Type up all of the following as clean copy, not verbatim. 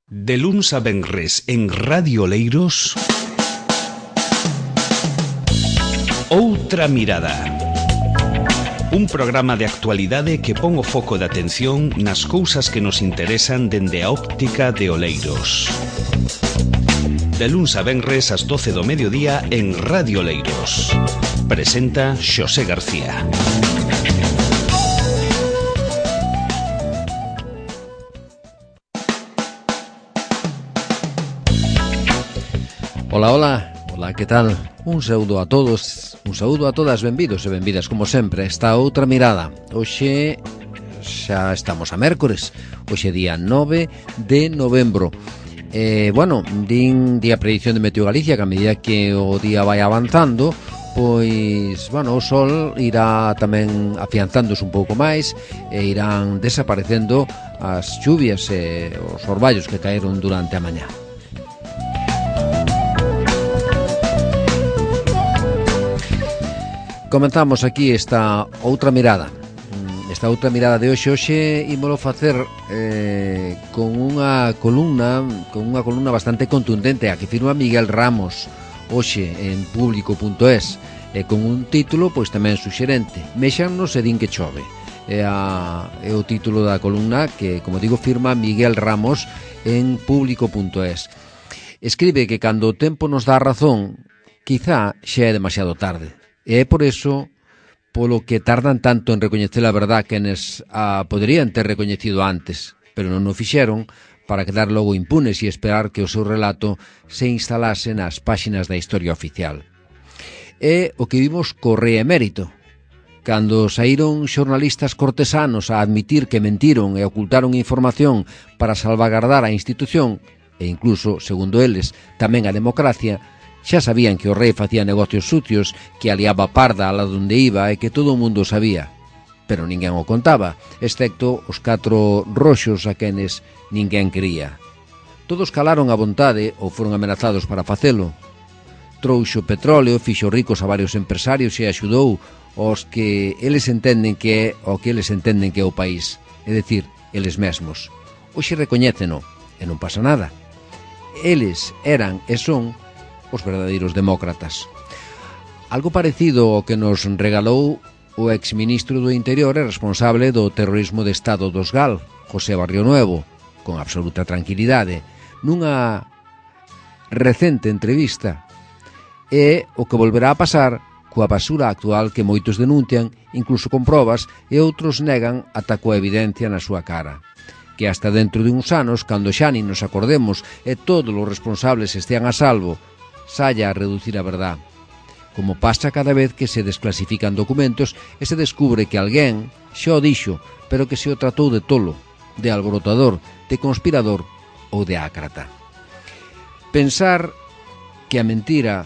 De luns a venres en Radio Oleiros, Outra Mirada. Un programa de actualidade que pon o foco de atención nas cousas que nos interesan dende a óptica de Oleiros. De luns a venres ás 12 do mediodía en Radio Oleiros. Presenta Xosé García. Ola, que tal? Un saúdo a todos, un saúdo a todas, benvidos e benvidas, como sempre, esta Outra Mirada. Hoxe xa estamos a mércores, hoxe día 9 de novembro. Din a predicción de Meteo Galicia que a medida que o día vai avanzando, pois, o sol irá tamén afianzándose un pouco máis e irán desaparecendo as chuvias e os orballos que caeron durante a mañá. Comenzamos aquí esta outra mirada. Esta outra mirada de hoxe ímolo facer con unha columna bastante contundente a que firma Miguel Ramos hoxe en público.es con un título pois tamén suxerente: Méxannos e din que chove. É o título da columna que, como digo, firma Miguel Ramos en público.es. Escribe que cando o tempo nos dá razón, quizá xa é demasiado tarde. E é por eso polo que tardan tanto en recoñecer a verdad que enes poderían ter recoñecido antes, pero non o fixeron para quedar logo impunes e esperar que o seu relato se instalase nas páxinas da historia oficial. É o que vimos co rei emérito, cando saíron xornalistas cortesanos a admitir que mentiron e ocultaron información para salvagardar a institución e incluso, segundo eles, tamén a democracia. Xa sabían que o rei facía negocios sucios, que aliaba parda alá donde iba e que todo o mundo sabía. Pero ninguén o contaba, excepto os 4 roxos a quenes ninguén quería. Todos calaron a vontade ou foron amenazados para facelo. Trouxo petróleo, fixo ricos a varios empresarios e axudou aos que eles entenden que é o que eles entenden que é o país, é dicir, eles mesmos. Hoxe recoñéceno e non pasa nada. Eles eran e son os verdadeiros demócratas. Algo parecido ao que nos regalou o exministro do Interior e responsable do terrorismo de Estado dos GAL, José Barrionuevo, con absoluta tranquilidade, nunha recente entrevista. É o que volverá a pasar coa basura actual que moitos denuncian, incluso con probas, e outros negan ata coa evidencia na súa cara. Que hasta dentro de uns anos, cando xa nin nos acordemos e todos os responsables estean a salvo, saia a reducir a verdad, como pasa cada vez que se desclasifican documentos e se descubre que alguén xa o dixo, pero que se o tratou de tolo, de alborotador, de conspirador ou de ácrata. Pensar que a mentira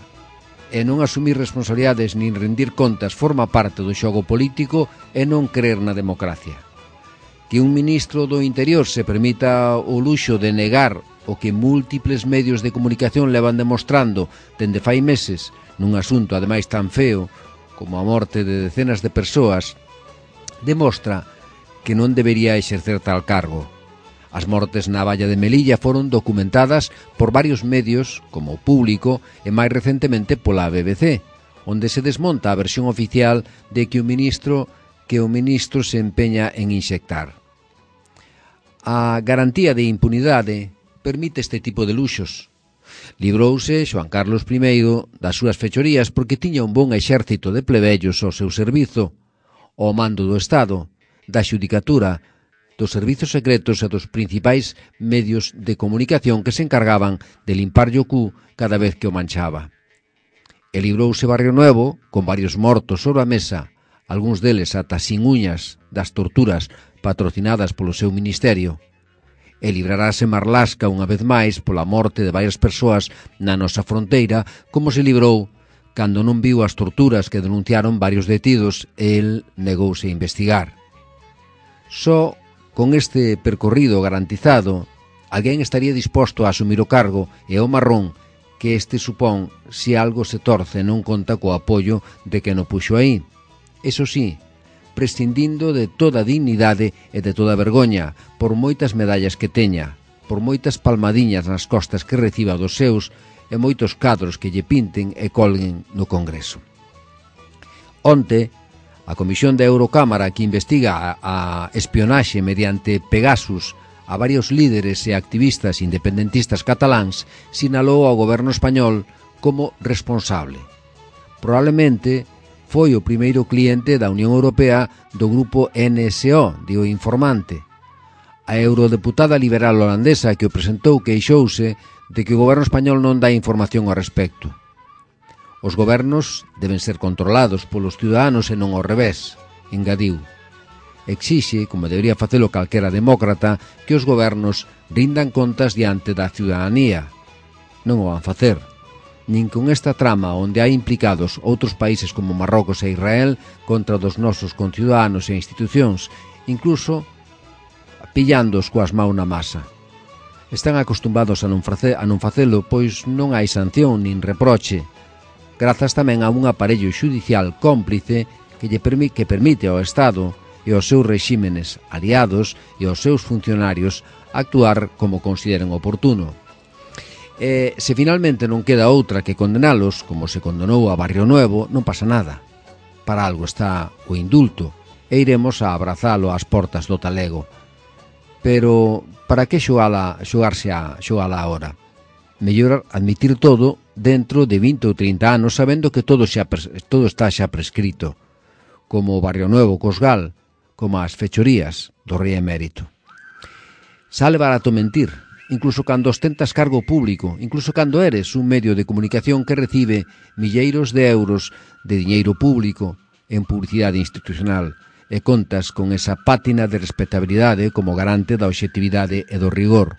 e non asumir responsabilidades nin rendir contas forma parte do xogo político e non crer na democracia. Que un ministro do Interior se permita o luxo de negar o que múltiples medios de comunicación levan demostrando dende fai meses nun asunto ademais tan feo como a morte de decenas de persoas, demostra que non debería exercer tal cargo. As mortes na valla de Melilla foron documentadas por varios medios como o Público e máis recentemente pola BBC, onde se desmonta a versión oficial de que o ministro se empeña en inxectar. A garantía de impunidade permite este tipo de luxos. Librouse Xoán Carlos I das súas fechorías porque tiña un bon exército de plebellos ao seu servizo, ao mando do Estado, da xudicatura, dos servizos secretos e dos principais medios de comunicación que se encargaban de limparlle o cu cada vez que o manchaba. E librouse Barrionuevo con varios mortos sobre a mesa, algúns deles ata sin uñas das torturas patrocinadas polo seu ministerio. E librarase Marlasca unha vez máis pola morte de varias persoas na nosa fronteira, como se librou cando non viu as torturas que denunciaron varios detidos e el negouse a investigar. Só con este percorrido garantizado, alguén estaría disposto a asumir o cargo e o marrón que este supón se algo se torce non conta co apoio de quen o puxo aí. Eso sí, prescindindo de toda dignidade e de toda vergoña, por moitas medallas que teña, por moitas palmadiñas nas costas que reciba dos seus e moitos cadros que lle pinten e colguen no Congreso. Onte, a Comisión da Eurocámara que investiga a espionaxe mediante Pegasus a varios líderes e activistas independentistas cataláns sinalou ao goberno español como responsable. Probablemente foi o primeiro cliente da Unión Europea do grupo NSO, di o informante. A eurodeputada liberal holandesa que o presentou queixouse de que o goberno español non dá información ao respecto. Os gobernos deben ser controlados polos ciudadanos e non ao revés, engadiu. Exixe, como debería facelo calquera demócrata, que os gobernos rindan contas diante da ciudadanía. Non o van facer. Nin con esta trama onde hai implicados outros países como Marrocos e Israel contra dos nosos conciudadanos e institucións, incluso pillándoos coas maus na masa. Están acostumbrados a non facelo, pois non hai sanción nin reproche, grazas tamén a un aparello xudicial cómplice que permite ao Estado e aos seus rexímenes aliados e aos seus funcionarios actuar como consideren oportuno. E se finalmente non queda outra que condenalos, como se condenou a Barrio Nuevo, non pasa nada. Para algo está o indulto e iremos a abrazalo ás portas do talego. Pero para que xogala agora? Mellor admitir todo dentro de 20 ou 30 anos sabendo que todo está xa prescrito, como o Barrio Nuevo Cosgal, como as fechorías do rei emérito. Sale barato mentir, incluso cando ostentas cargo público, incluso cando eres un medio de comunicación que recibe milleiros de euros de diñeiro público en publicidade institucional, e contas con esa pátina de respetabilidade como garante da obxectividade e do rigor.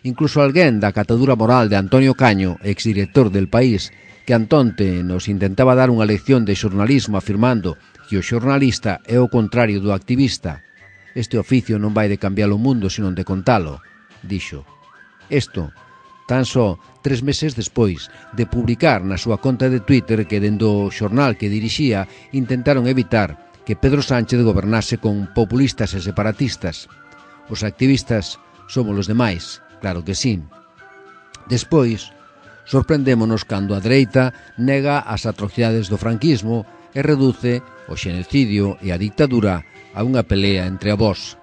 Incluso alguén da catadura moral de Antonio Caño, exdirector del País, que antonte nos intentaba dar unha lección de xornalismo afirmando que o xornalista é o contrario do activista. Este oficio non vai de cambiar o mundo, senón de contalo, dixo. Isto, tan só 3 meses despois de publicar na súa conta de Twitter que dende o xornal que dirixía intentaron evitar que Pedro Sánchez gobernase con populistas e separatistas. Os activistas somos os demais, claro que sí. Despois, sorprendémonos cando a dereita nega as atrocidades do franquismo e reduce o xenocidio e a dictadura a unha pelea entre avós.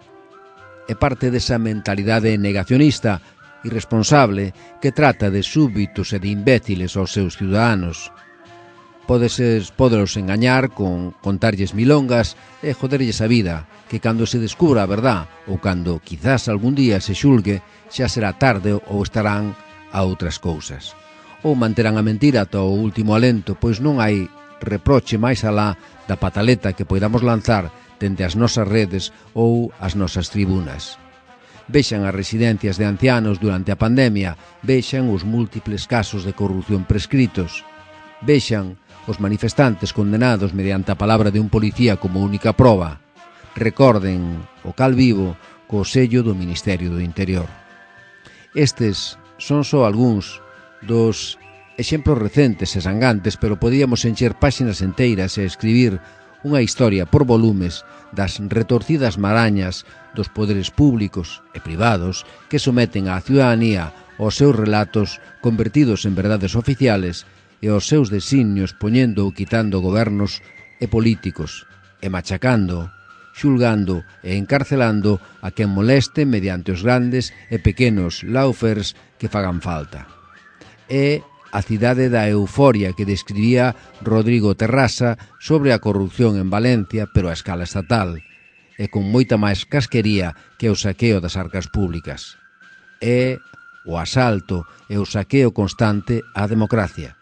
É parte desa mentalidade negacionista irresponsable que trata de súbditos e de imbéciles aos seus ciudadanos. Pódelos engañar con contarlles milongas e joderlles a vida, que cando se descubra a verdad ou cando quizás algún día se xulgue xa será tarde ou estarán a outras cousas. Ou manterán a mentira ata o último alento, pois non hai reproche máis alá da pataleta que poidamos lanzar dende as nosas redes ou as nosas tribunas. Vexan as residencias de ancianos durante a pandemia, vexan os múltiples casos de corrupción prescritos, vexan os manifestantes condenados mediante a palabra de un policía como única proba. Recorden o cal vivo co sello do Ministerio do Interior. Estes son só algúns dos exemplos recentes e sangantes, pero podíamos encher páxinas enteiras e escribir unha historia por volumes das retorcidas marañas dos poderes públicos e privados que someten á ciudadanía aos seus relatos convertidos en verdades oficiales e aos seus designios poñendo ou quitando gobernos e políticos, e machacando, xulgando e encarcelando a quen moleste mediante os grandes e pequenos laufers que fagan falta. É a cidade da euforia que describía Rodrigo Terrasa sobre a corrupción en Valencia, pero a escala estatal, e con moita máis casquería que o saqueo das arcas públicas. É o asalto e o saqueo constante á democracia,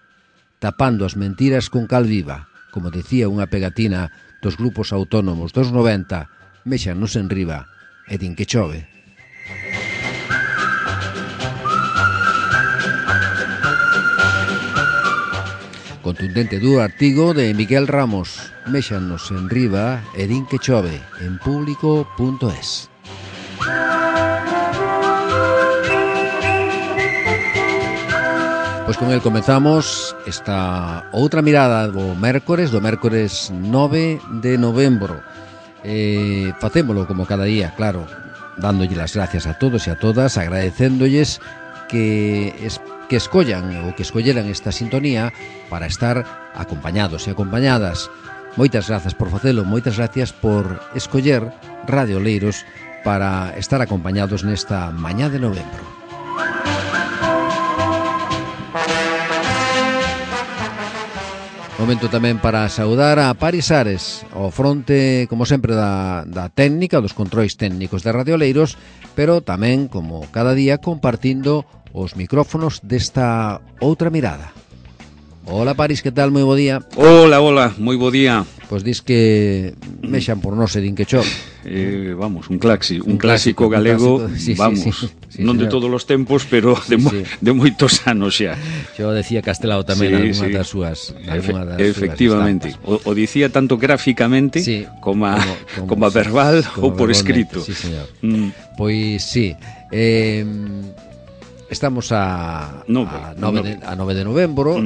tapando as mentiras con cal viva, como decía unha pegatina dos grupos autónomos dos 90, méxanos en riba e din que chove. Contundente duro artigo de Miguel Ramos, méxanos en riba e din que chove, en público.es. Pois con el comezamos esta outra mirada do mércores 9 de novembro. Facémolo como cada día, claro, dándolle las gracias a todos e a todas, agradecéndolles que escollan ou que escolleran esta sintonía para estar acompañados e acompañadas. Moitas grazas por facelo, moitas gracias por escoller Radio Oleiros para estar acompañados nesta mañá de novembro. Momento tamén para saudar a Paris Ares, ao fronte, como sempre, da técnica, dos controis técnicos de Radio Oleiros, pero tamén, como cada día, compartindo os micrófonos desta outra mirada. Hola Paris, que tal? Moi bo día. Hola, moi bo día. Pois dis que mexan por nós e din que chove. Vamos, un clásico galego, sí, vamos, sí, non de todos os tempos, pero de moitos anos xa. Yo decía Castelao tamén algunha das súas. Efectivamente, o dicía tanto gráficamente como verbal ou por escrito. Sí, señor. Pois sí, estamos a 9 de novembro.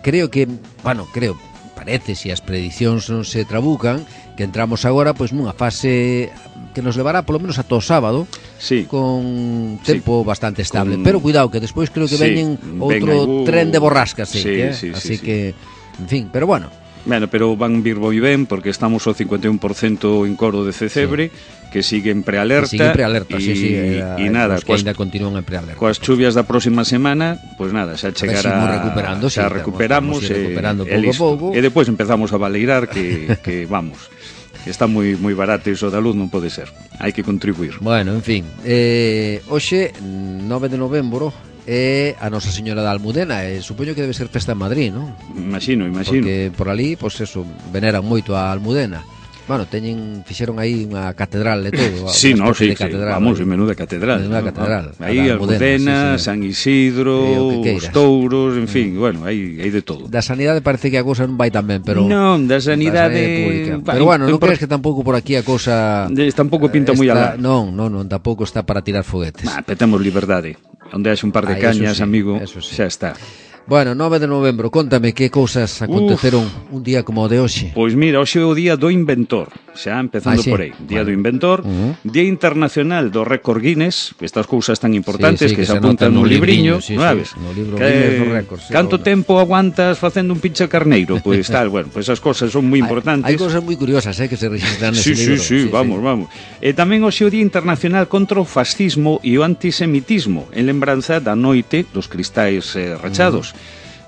Creo que, parece, se as predicións non se trabucan, que entramos agora pois nunha fase que nos levará polo menos ata o sábado, con tempo bastante estable, pero cuidado que despois creo que veñen outro tren de borrascas, así que, en fin, pero bueno. Bueno, pero van vir moi ben porque estamos ao 51% en Coro de Cecebre, que sigue en prealerta. E nada, que ainda continúan en prealerta. Coas chuvias da próxima semana, pois nada, xa chegará, xa recuperamos pouco a pouco. E depois empezamos a baleirar que vamos, que está moi barato iso da luz, non pode ser. Hai que contribuir. Bueno, en fin, hoxe 9 de novembro é a Nosa Señora da Almudena, e supoño que debe ser festa en Madrid, non? Imagino. Porque por ali, pois eso, veneran moito a Almudena. Bueno, fixeron aí unha catedral e todo. Sí, vamos, menuda catedral. Aí Almudena, San Isidro, os touros, en fin, bueno, hai de todo. Da sanidade parece que a cousa non vai tan ben, pero... Non, da sanidade... Pero bueno, non crees que tampouco por aquí a cousa... Tampouco pinta moi alá. Non, tampouco está para tirar foguetes. Petamos liberdade. Onde haxe un par de cañas, amigo, xa está. Bueno, 9 de novembro, contame que cousas aconteceron un día como o de hoxe. Pois mira, hoxe é o día do inventor, xa empezando por aí. Día do inventor, Día Internacional do Récord Guinness, estas cousas tan importantes que se apuntan no libriño, sabes? No libro Guinness do Récord. Canto tempo aguantas facendo un pinche carneiro? Pois tal, bueno, pois esas cousas son moi importantes. Hai cousas moi curiosas, que se registran nese libro. Sí, vamos. E tamén hoxe o Día Internacional contra o fascismo e o antisemitismo, en lembranza da noite dos cristais rachados.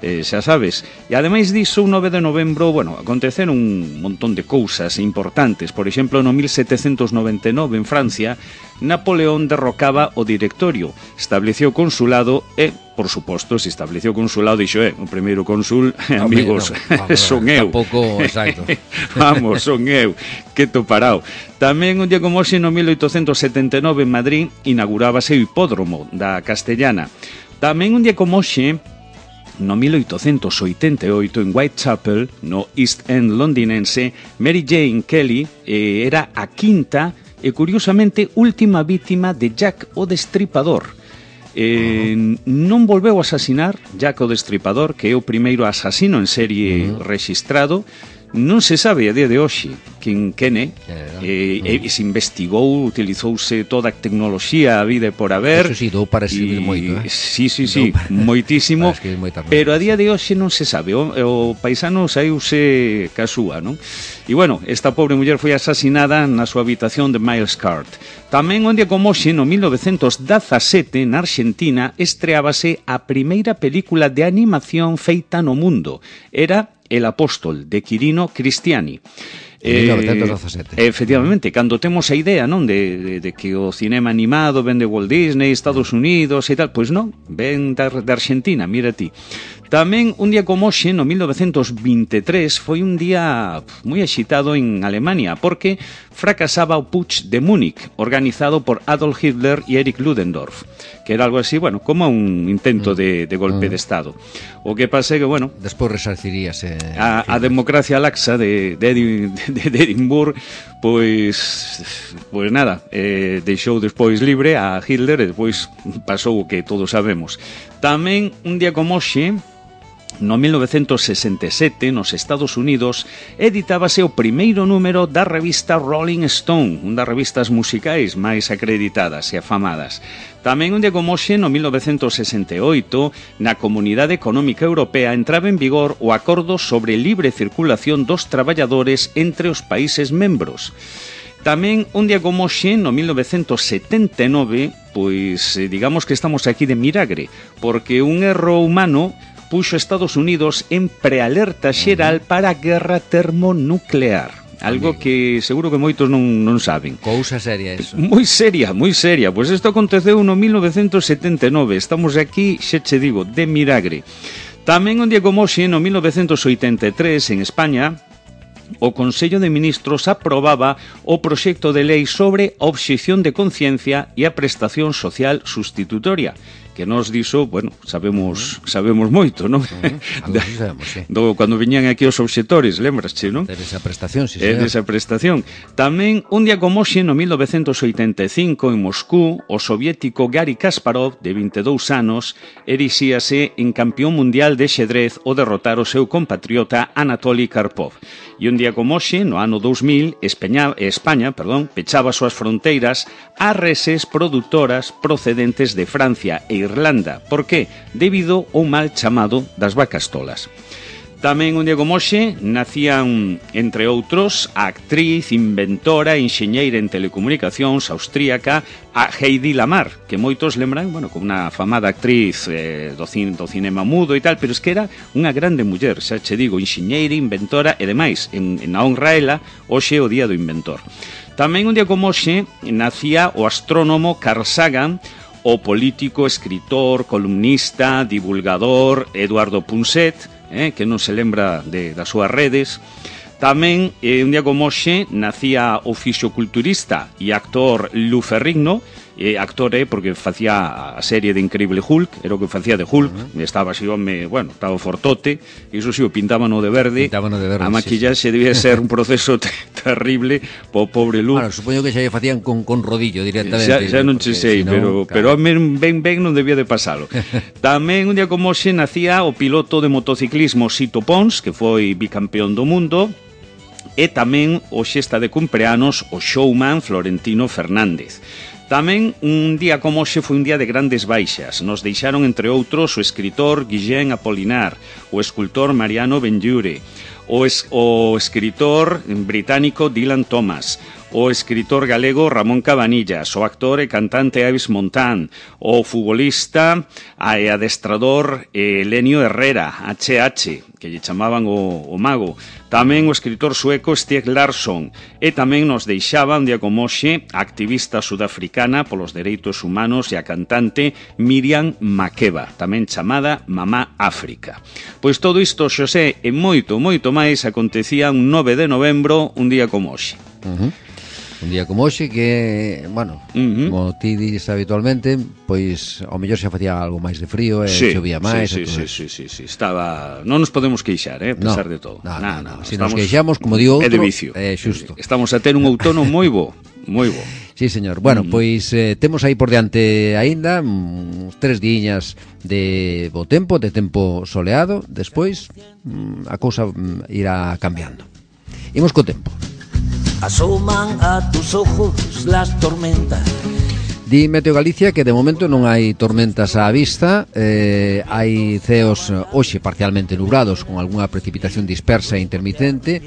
Xa sabes, e ademais diso, o 9 de novembro, bueno, aconteceron un montón de cousas importantes. Por exemplo, no 1799 en Francia, Napoleón derrocaba o directorio, estableceu consulado e, por suposto, se estableceu consulado, dixo, o primeiro cónsul, amigos, son eu. Tampouco, exacto. Vamos, son eu, que toparao. Tamén un día como hoxe, no 1879 en Madrid, inaugurábase o hipódromo da Castellana. Tamén un día como hoxe, no 1888, en Whitechapel, no East End londinense, Mary Jane Kelly era a quinta e, curiosamente, última vítima de Jack o Destripador. Non volveu a asasinar Jack o Destripador, que é o primeiro asasino en serie rexistrado. Non se sabe a día de hoxe quen é, se investigou, utilizouse toda a tecnoloxía a vida por haber. Eso sí, dou para escribir moito, Sí, moitísimo, pero a día de hoxe non se sabe. O paisano saíuse ca súa, non? E bueno, esta pobre muller foi asasinada na súa habitación de Miles Card. Tamén un día como hoxe, no 1917, na Argentina, estreábase a primeira película de animación feita no mundo. Era El Apóstol, de Quirino Cristiani. 1917. Efectivamente, cando temos a idea, non, de que o cinema animado ven de Walt Disney, Estados Unidos e tal, pois non, ven de Argentina, mira ti. Tamén un día como hoxe, no 1923, foi un día moi axitado en Alemania, porque fracasaba o Putsch de Múnich, organizado por Adolf Hitler e Erich Ludendorff, que era algo así, bueno, como un intento de golpe de Estado. O que pasa é que, bueno, despois resarciríase a democracia laxa de Edimburgo, pois nada, deixou despois libre a Hitler e despois pasou o que todos sabemos. Tamén un día como hoxe, No 1967, nos Estados Unidos, editábase o primeiro número da revista Rolling Stone, unha das revistas musicais máis acreditadas e afamadas. Tamén un día como hoxe, no 1968, na Comunidade Económica Europea entraba en vigor o Acordo sobre Libre Circulación dos Traballadores entre os países membros. Tamén un día como hoxe, no 1979, pois digamos que estamos aquí de milagre, porque un erro humano puxo Estados Unidos en prealerta xeral para a guerra termonuclear. Algo que seguro que moitos non saben. Cousa seria eso. Moi seria, moi seria. Pois isto aconteceu no 1979. Estamos aquí, xa che digo, de milagre. Tamén un día como hoxe, no 1983, en España, o Consello de Ministros aprobaba o proxecto de lei sobre a obxección de conciencia e a prestación social sustitutoria, que nos diso, bueno, sabemos moito, non? Sabemos, sí. Cando viñan aquí os obxectores, lembrasche, non? De esa prestación, sí, señor. De esa prestación. Tamén, un día como hoxe, no 1985, en Moscú, o soviético Gary Kasparov, de 22 anos, erixíase en campeón mundial de xedrez ao derrotar o seu compatriota Anatoly Karpov. E un día como hoxe, no ano 2000, España, pechaba as súas fronteiras a reses produtoras procedentes de Francia e Irlanda. Por que? Debido ao mal chamado das vacas tolas. Tamén un día como hoxe nacían, entre outros, a actriz, inventora, enxeñeira en telecomunicacións austríaca, a Heidi Lamar, que moitos lembran, bueno, como unha famada actriz do cinema mudo e tal, pero es que era unha grande muller, xa che digo, enxeñeira, inventora e demais. En a honra ela, hoxe é o día do inventor. Tamén un día como hoxe nacía o astrónomo Carl Sagan, o político, escritor, columnista, divulgador Eduardo Punset, que non se lembra das súas redes. Tamén, un día como hoxe, nacía o fisiculturista e actor Lou Ferrigno. Actor porque facía a serie de Increíble Hulk, era o que facía de Hulk, estaba así, bueno, estaba fortote, e iso si o pintaban de verde, a maquillaxe debía ser un proceso terrible po pobre Lou. Bueno, supoño que xa lle facían con rodillo directamente. Xa non che sei, pero a ben non debía de pasalo. Tamén un día como hoxe nacía o piloto de motociclismo Sito Pons, que foi bicampeón do mundo, e tamén hoxe está de cumpleanos o showman Florentino Fernández. Tamén un día como hoxe foi un día de grandes baixas. Nos deixaron, entre outros, o escritor Guillén Apolinar, o escultor Mariano Benlliure, o escritor británico Dylan Thomas, o escritor galego Ramón Cabanillas, o actor e cantante Avis Montán, o futbolista e adestrador Elenio Herrera, HH, que lle chamaban o mago. Tamén o escritor sueco Stieg Larsson, e tamén nos deixaba un día como hoxe a activista sudafricana polos dereitos humanos e a cantante Miriam Makeba, tamén chamada Mamá África. Pois todo isto, Xosé, e moito, moito máis acontecía un 9 de novembro, un día como hoxe. Un día como hoxe que, bueno, como ti dices habitualmente, pois ao mellor xa facía algo máis de frío e chovía máis. Sí, estaba, non nos podemos queixar, a pesar de todo. No. Se nos queixamos, como digo outro, é de vicio. Xusto. Estamos a ter un outono moi bo. Sí, señor. Bueno, pois temos aí por diante aínda uns 3 diñas de bo tempo, de tempo soleado. Despois a cousa irá cambiando. Imos co tempo. Asoman a tus ojos las tormentas. Di Meteo Galicia que de momento non hai tormentas á vista, hai ceos hoxe parcialmente nublados con algunha precipitación dispersa e intermitente.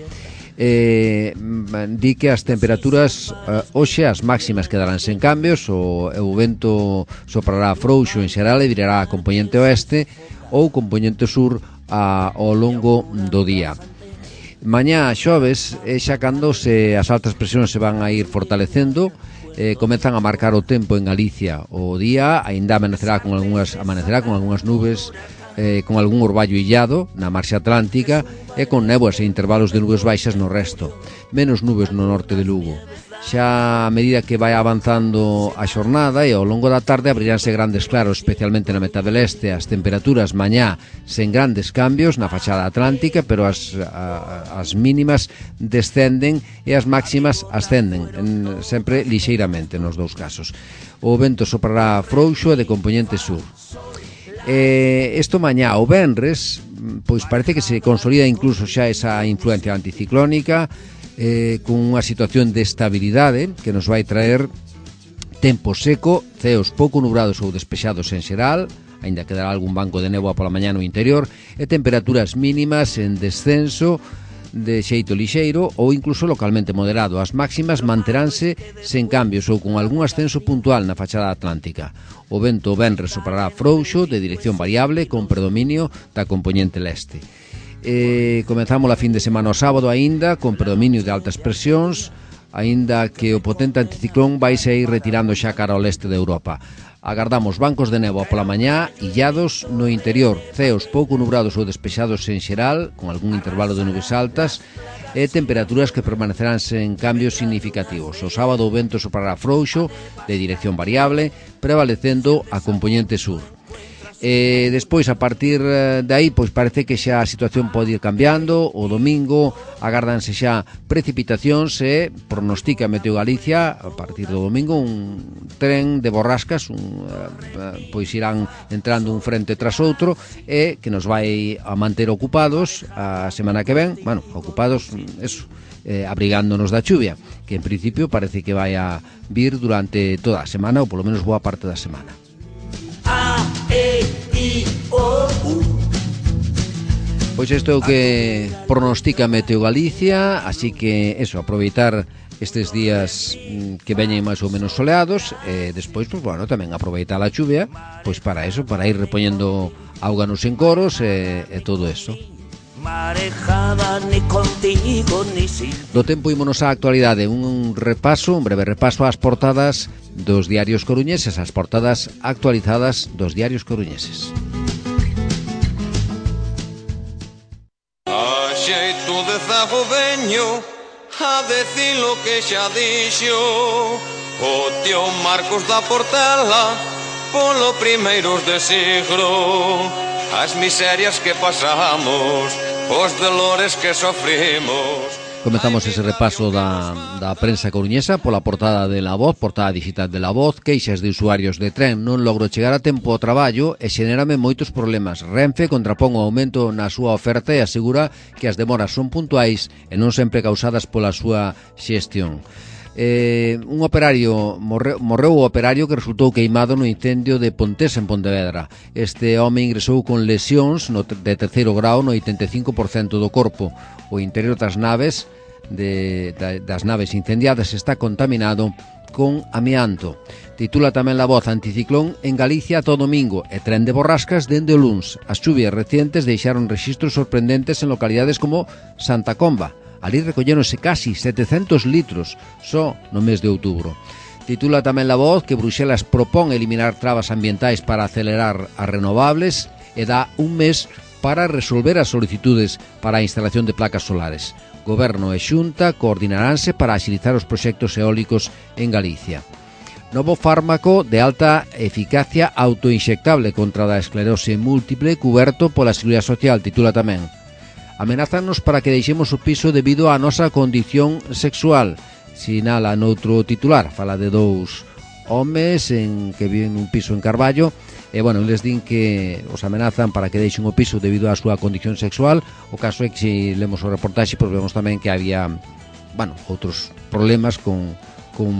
Di que as temperaturas hoxe as máximas quedarán sen cambios, o vento soprará frouxo en xeral e virará a compoñente oeste ou compoñente sur ao longo do día. Mañá xoves é xa cando as altas presións se van a ir fortalecendo, comezan a marcar o tempo en Galicia. O día aínda amanecerá con algunhas nubes, con algún orballo illado na marxe atlántica e con néboas e intervalos de nubes baixas no resto. Menos nubes no norte de Lugo. Xa a medida que vai avanzando a xornada e ao longo da tarde abriránse grandes claros, especialmente na metade leste. As temperaturas mañá sen grandes cambios na fachada atlántica, pero as mínimas descenden e as máximas ascenden, sempre lixeiramente nos dous casos. O vento soprará frouxo e de compoñente sur. Isto mañá, o venres, pois parece que se consolida incluso xa esa influencia anticiclónica, con unha situación de estabilidade que nos vai traer tempo seco, ceos pouco nubrados ou despexados en xeral, aínda quedará algún banco de néboa pola mañá no interior, e temperaturas mínimas en descenso de xeito lixeiro ou incluso localmente moderado. As máximas manteránse sen cambios ou con algún ascenso puntual na fachada atlántica. O vento venres soprará frouxo de dirección variable con predominio da compoñente leste. Comezamos a fin de semana o sábado aínda con predominio de altas presións, aínda que o potente anticiclón vai ir retirando xa cara ao leste de Europa. Agardamos bancos de néboa pola mañá, illados no interior, ceos pouco nubrados ou despexados en xeral, con algún intervalo de nubes altas, e temperaturas que permanecerán sen cambios significativos. O sábado o vento soprará frouxo, de dirección variable, prevalecendo a compoñente sur. Despois, a partir de aí, pois parece que xa a situación pode ir cambiando. O domingo agárdanse xa precipitacións e pronostica Meteo Galicia a partir do domingo un tren de borrascas, pois irán entrando un frente tras outro e que nos vai a manter ocupados a semana que ven, bueno, ocupados, eso, abrigándonos da chuvia, que en principio parece que vai a vir durante toda a semana ou polo menos boa parte da semana. Pois isto é o que pronostica Meteo Galicia, así que eso, aproveitar estes días que veñen máis ou menos soleados e despois, pois, bueno, tamén aproveitar a chuvia, pois para eso, para ir repoñendo auga nos encoros e todo eso. Do tempo ímonos á actualidade, un breve repaso ás portadas dos diarios coruñeses, as portadas actualizadas dos diarios coruñeses. A xeito de zago veño a decir lo que xa dixo o tío Marcos da Portela polo primeiros de siglo, as miserias que pasamos, os dolores que sofrimos. Comezamos ese repaso da prensa coruñesa pola portada de La Voz, portada digital de La Voz. Queixas de usuarios de tren: non logro chegar a tempo ao traballo e xenérame moitos problemas. Renfe contrapón o aumento na súa oferta e asegura que as demoras son puntuais e non sempre causadas pola súa xestión. Un operario morreu o operario que resultou queimado no incendio de Pontés en Pontevedra. Este home ingresou con lesións de terceiro grau no 85% do corpo. O interior das naves incendiadas está contaminado con amianto. Titula tamén La Voz: anticiclón en Galicia todo domingo e tren de borrascas dende o luns. As chuvias recientes deixaron rexistros sorprendentes en localidades como Santa Comba. Ali recolléronse casi 700 litros só no mes de outubro. Titula tamén La Voz que Bruxelas propón eliminar trabas ambientais para acelerar as renovables e dá un mes para resolver as solicitudes para a instalación de placas solares. Goberno e Xunta coordinaránse para axilizar os proxectos eólicos en Galicia. Novo fármaco de alta eficacia autoinxectable contra a esclerose múltiple cuberto pola Seguridade Social, titula tamén. Amenázanos para que deixemos o piso debido á nosa condición sexual, sinala noutro titular. Fala de dous homes que viven nun piso en Carballo e, bueno, les din que os amenazan para que deixen o piso debido á súa condición sexual. O caso é que, se lemos o reportaxe, pois vemos tamén que había, bueno, outros problemas con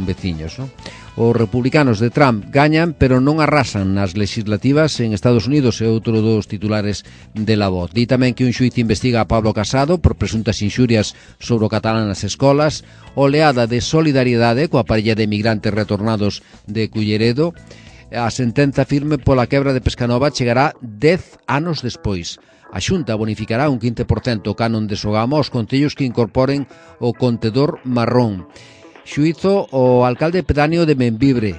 veciños, non? Os republicanos de Trump gañan, pero non arrasan nas legislativas en Estados Unidos, é outro dos titulares de La Voz. Di tamén que un xuiz investiga a Pablo Casado por presuntas inxurias sobre o catalán nas escolas, oleada de solidariedade coa parella de emigrantes retornados de Culleredo. A sentenza firme pola quebra de Pescanova chegará 10 anos despois. A Xunta bonificará un 15% o canon de Sogama aos concellos que incorporen o contedor marrón. Xuízo o alcalde pedáneo de Membibre,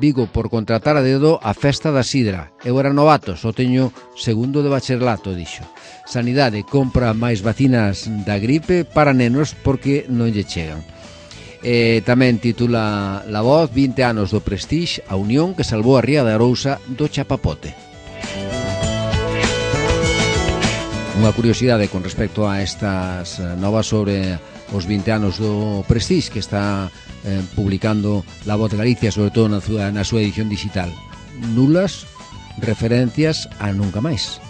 Vigo, por contratar a dedo a festa da sidra. Eu era novato, só teño segundo de bacharelato, dixo. Sanidade compra máis vacinas da gripe para nenos porque non lle chegan. Tamén titula La Voz: 20 anos do Prestige, a unión que salvou a ría de Arousa do chapapote. Unha curiosidade con respecto a estas novas sobre os 20 anos do Prestige que está publicando La Voz de Galicia, sobre todo na súa edición digital. Nulas referencias a Nunca Máis.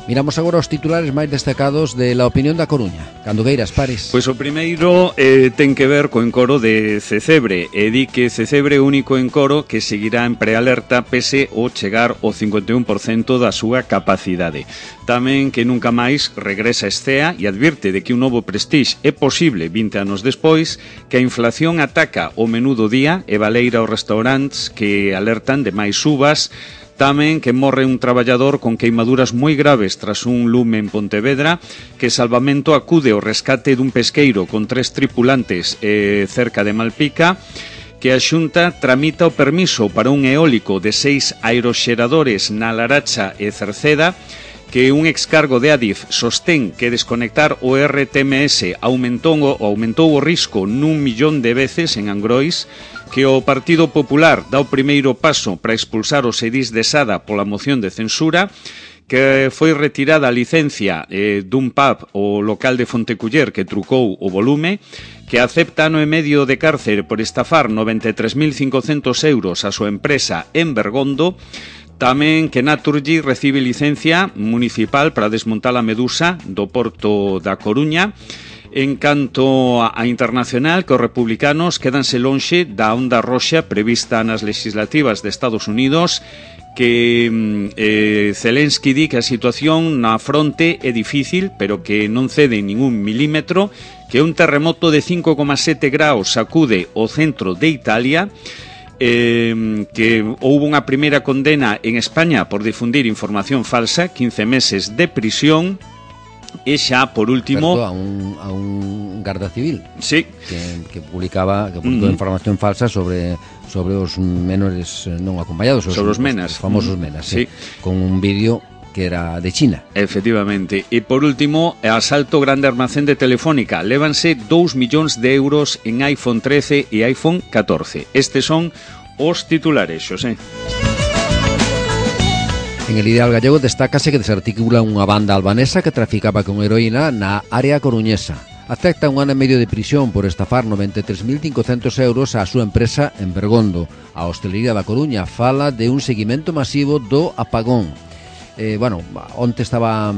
Miramos agora os titulares máis destacados de La Opinión da Coruña. Cando queiras, Pares. Pois o primeiro ten que ver co encoro de Cecebre, e di que Cecebre é o único encoro que seguirá en prealerta pese o chegar ao 51% da súa capacidade. Tamén que nunca máis regresa Escea e advirte de que un novo Prestige é posible 20 anos despois, que a inflación ataca o menú do día e baleira aos restaurantes que alertan de máis subas. Tamén que morre un traballador con queimaduras moi graves tras un lume en Pontevedra, que Salvamento acude ao rescate dun pesqueiro con 3 tripulantes cerca de Malpica, que a Xunta tramita o permiso para un eólico de 6 aeroxeradores na Laracha e Cerceda, que un excargo de Adif sostén que desconectar o RTMS aumentou o risco nun 1.000.000 de veces en Angrois, que o Partido Popular dá o primeiro paso para expulsar os edís de Sada pola moción de censura, que foi retirada a licencia dun pub o local de Fonteculler que trucou o volume, que acepta ano e medio de cárcere por estafar 93.500 euros a súa empresa en Bergondo. Tamén que Naturgy recibe licencia municipal para desmontar a medusa do Porto da Coruña. En canto a internacional, que os republicanos quédanse lonxe da onda roxa prevista nas legislativas de Estados Unidos, que Zelensky di que a situación na fronte é difícil, pero que non cede ningún milímetro, que un terremoto de 5,7 graus sacude o centro de Italia, que houve unha primeira condena en España por difundir información falsa, 15 meses de prisión. E xa, por último... A un garda civil. Sí. Que publicou información falsa sobre os menores non acompañados. Sobre os menas. Os famosos menas, sí. Con un vídeo que era de China. Efectivamente. E por último, asalto grande almacén de Telefónica. Lévanse 2 millóns de euros en iPhone 13 e iPhone 14. Estes son os titulares, Xosé. En El Ideal Gallego destácase que desarticula unha banda albanesa que traficaba con heroína na área coruñesa. Acepta un ano e medio de prisión por estafar 93.500 euros á súa empresa en Bergondo. A hostelería da Coruña fala de un seguimento masivo do apagón. Onte estaba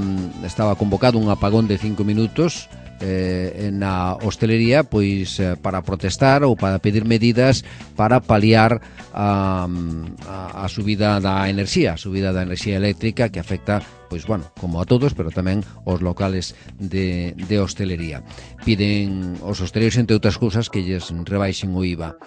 convocado un apagón de 5 minutos na hostelería, pois para protestar ou para pedir medidas para paliar a subida da enerxía eléctrica que afecta, pois como a todos, pero tamén aos locales de hostelería. Piden os hosteleiros, entre outras cousas, que lles rebaixen o IVA.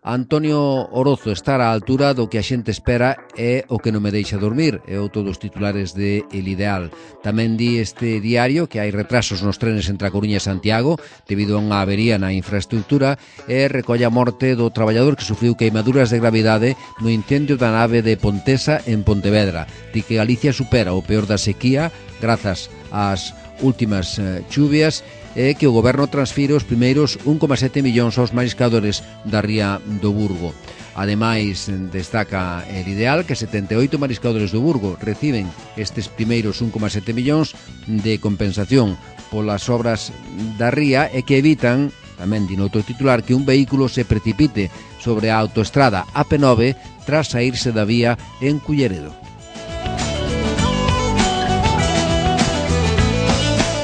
Antonio Orozo estar á altura do que a xente espera é o que non me deixa dormir, é outro dos titulares de El Ideal. Tamén di este diario que hai retrasos nos trenes entre a Coruña e Santiago debido a unha avería na infraestructura, e recolle a morte do traballador que sufriu queimaduras de gravidade no incendio da nave de Pontesa en Pontevedra. Di que Galicia supera o peor da sequía grazas ás últimas chuvias, e que o goberno transfire os primeiros 1,7 millóns aos mariscadores da ría do Burgo. Ademais, destaca El Ideal que 78 mariscadores do Burgo reciben estes primeiros 1,7 millóns de compensación polas obras da ría, e que evitan, tamén din outro titular, que un vehículo se precipite sobre a autoestrada AP9 tras saírse da vía en Culleredo.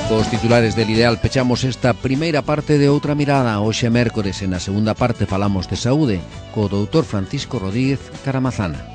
Cos titulares del Ideal pechamos esta primeira parte de Outra Mirada. Hoxe é mércores e na segunda parte falamos de saúde co doutor Francisco Rodríguez Caramazana.